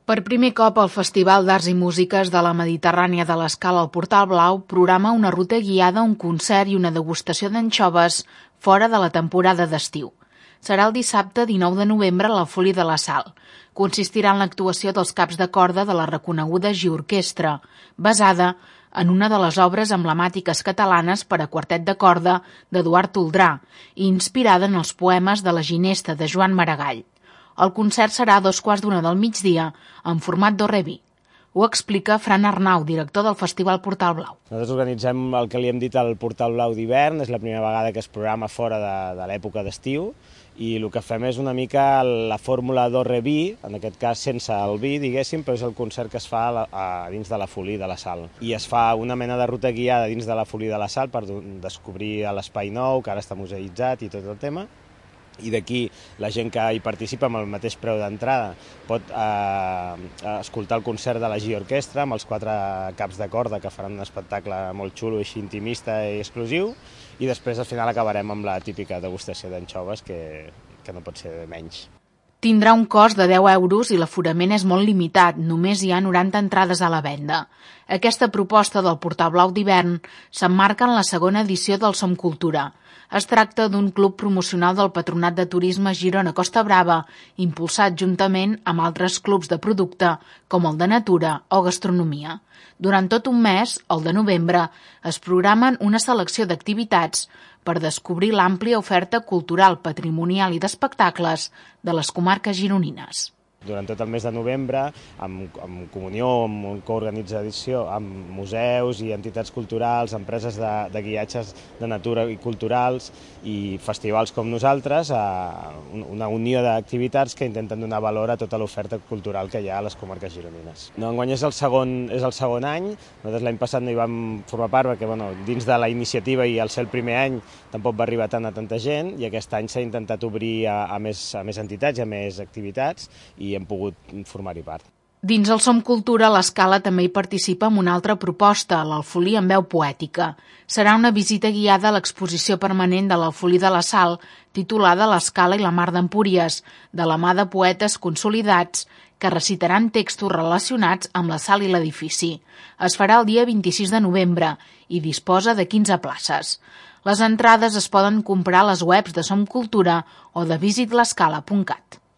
Per primer cop, el Festival d'Arts i Músiques de la Mediterrània de l'Escala al Portal Blau programa una ruta guiada, un concert i una degustació d'anxoves fora de la temporada d'estiu. Serà el dissabte 19 de novembre a la Folia de la Sal. Consistirà en l'actuació dels caps de corda de la reconeguda Giorquestra, basada en una de les obres emblemàtiques catalanes per a quartet de corda d'Eduard Toldrà i inspirada en els poemes de la Ginesta de Joan Maragall. El concert serà a 2:15 del migdia, en format do re mi. Ho explica Fran Arnau, director del Festival Portal Blau. Nosaltres organitzem el que li hem dit el Portal Blau d'hivern, és la primera vegada que es programa fora de l'època d'estiu, i el que fem és una mica la fórmula do re mi, en aquest cas sense el vi, diguéssim, però és el concert que es fa dins de la Folia de la Sal. I es fa una mena de ruta guiada dins de la Folia de la Sal per descobrir l'espai nou, que ara està museïtzat i tot el tema. I d'aquí la gent que hi participa amb el mateix preu d'entrada pot escoltar el concert de la Giorquestra amb els 4 caps de corda que faran un espectacle molt xulo, així intimista i exclusiu, i després al final acabarem amb la típica degustació d'anxoves que no pot ser menys. Tindrà un cost de 10 euros i l'aforament és molt limitat, només hi ha 90 entrades a la venda. Aquesta proposta del Portal Blau d'hivern s'emmarca en la segona edició del Som Cultura. Es tracta d'un club promocional del Patronat de Turisme Girona Costa Brava, impulsat juntament amb altres clubs de producte, com el de natura o gastronomia. Durant tot un mes, el de novembre, es programen una selecció d'activitats per descobrir l'àmplia oferta cultural, patrimonial i d'espectacles de les comarques gironines. Durant tot el mes de novembre, en comunió, en coorganització amb museus i entitats culturals, empreses de guiatges de natura i culturals i festivals com nosaltres, una unió d'activitats que intenten donar valor a tota l'oferta cultural que hi ha a les comarques gironines. Enguany és el segon any, nosaltres l'any passat no hi vam formar part perquè dins de la iniciativa i al ser el primer any tampoc va arribar tant a tanta gent, i aquest any s'ha intentat obrir a més entitats i a més activitats, i hem pogut formar-hi part. Dins el Som Cultura, l'Escala també hi participa amb una altra proposta, l'Alfolí en veu poètica. Serà una visita guiada a l'exposició permanent de l'Alfolí de la Sal, titulada L'Escala i la Mar d'Empúries, de la mà de poetes consolidats que recitaran textos relacionats amb la sal i l'edifici. Es farà el dia 26 de novembre i disposa de 15 places. Les entrades es poden comprar a les webs de Som Cultura o de visitlescala.cat.